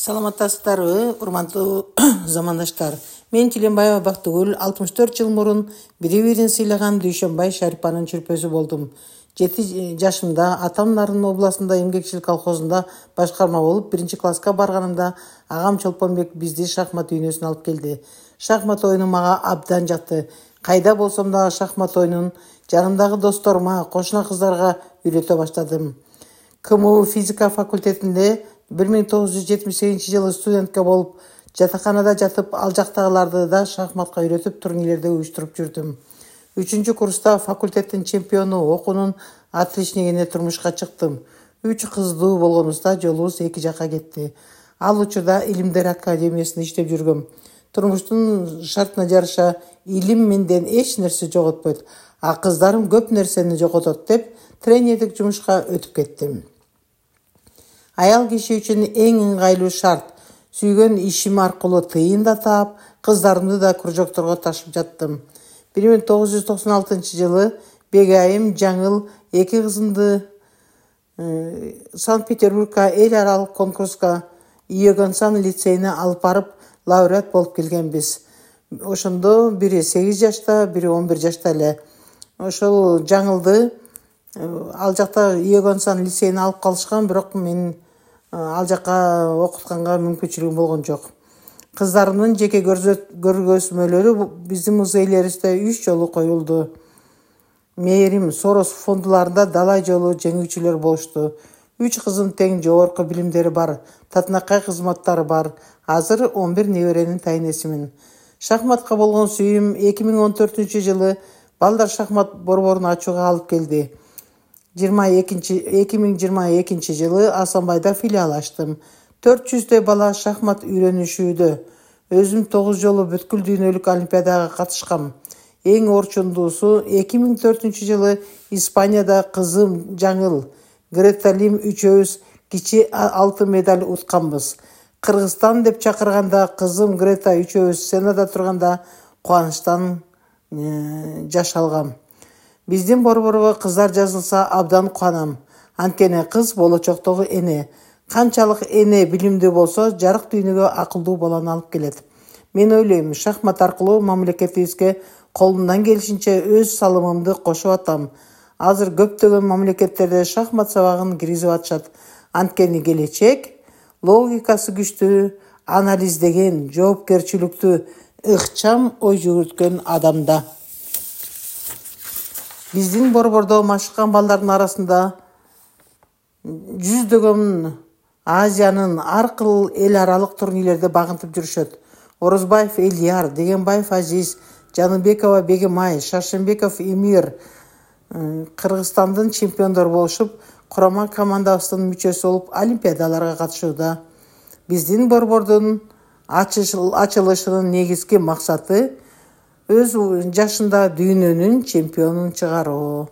Саламаттасыздарбы, урматтуу замандаштар. Мен Тиленбаева Бактыгүл 64 жыл мурун бири-бирин сыйлаган Дүйшөнбай Шарипанын чүрпөсү болдум. 7 жашымда Атам Нарын областында эмгекчилик колхозунда башкарма болуп, 1-класска барганымда агам Чолпонбек бизди шахмат үйнөсүнө алып келди. Шахмат оюну мага абдан жакты. Кайда болсом дагы шахмат оюнун жанымдагы досторума, кошуна кыздарга үйрөтө баштадым. КМУ физика факультетинде 1978-жылы студентке болуп, жатаканада жатып, ал жактагыларды да шахматка үйрөтүп, турнирлерде уюштуруп жүрдүм. 3-курста факультеттин чемпиону, окуунун отличнигине турмушка чыктым. 3 кыздуу болгонубузда жолубуз эки жакка кетти. Ал учурда Илимдер академиясында иштеп жүргөм. Турмуштун шартына жараша илим менден эч нерсе жоготпойт, а кыздарым көп нерсени жоготот деп тренердик жумушка өтүп кеттим. Аял киши үчүн эң ыңгайлуу шарт. Сүйгөн ишим аркылуу тыйын да таап, кыздарымды да кружокторго ташып жаттым. 1996-жылы Бегайым Жаңыл 2 кызымды Санкт-Петербургка эл аралык конкурска Иогансен лицейине алып барып, лауреат болуп келгенбиз. Ошондо бири 8 жашта, бири 11 жашта эле. Ошол Жаңылды ал жакта Иогансен лицейине алып калышкан, бирок мен ал жакка окутканга мүмкүнчүлүгүм болгон жок. Кыздарымдын жеке көргөзмөлөрү биздин музейлерибизде 3 жолу коюлду. Мээрим Сорос фондуларында далай жолу жеңүүчүлөр болушту. 3 кызым тең жогорку билимдери бар, татынакай кызматтары бар. Азыр 11 неберенин тайнесимин. Шахматка болгон сүйүүм 2014-жылы балдар шахмат борборун ачууга алып келди. 2022-жылы Асанбайда филиал ачтым. 400 бала шахмат үйрөнүшүүдө. Өзүм 9 жолу бүткүл дүйнөлүк олимпиадага катышкам. Эң орчундуусу 2004-жылы Испанияда кызым Жаңыл, Грета Лим үчөөбүз кичи алтын медаль утканбыз. Кыргызстан деп чакырганда кызым Грета үчөөбүз сценада турганда кубанычтан жаш алгам. Биздин борборго кыздар жазылса абдан кубанам. Анткени кыз болочоктогу эне. Канчалык эне билимдүү болсо, жарык дүйнөгө акылдуу баланы алып келет. Мен ойлойм, шахмат аркылуу мамлекетибизге колумдан келишинче өз салымымды кошуп атам. Азыр көптөгөн мамлекеттерде шахмат сабагын киргизип атышат. Анткени келечек логикасы күчтүү, анализдеген, жоопкерчиликтүү, ыкчам ой жүгүрткөн адамда. Биздин борбордо машыккан балдардын арасында жүздөгөн Азиянын ар кыл эл аралык турнирлерде багынтып жүрүшөт. Орозбаев Эльяр, Дегенбаев Азиз, Жаныбекова Бегемай, Шаршембеков Эмир Кыргызстандын чемпиондору болушуп, курама командабыздын мүчөсү болуп, олимпиадаларга катышууда. Биздин борбордун ачылышынын негизги максаты өз жашында дүйнөнүн чемпионун чыгаруу.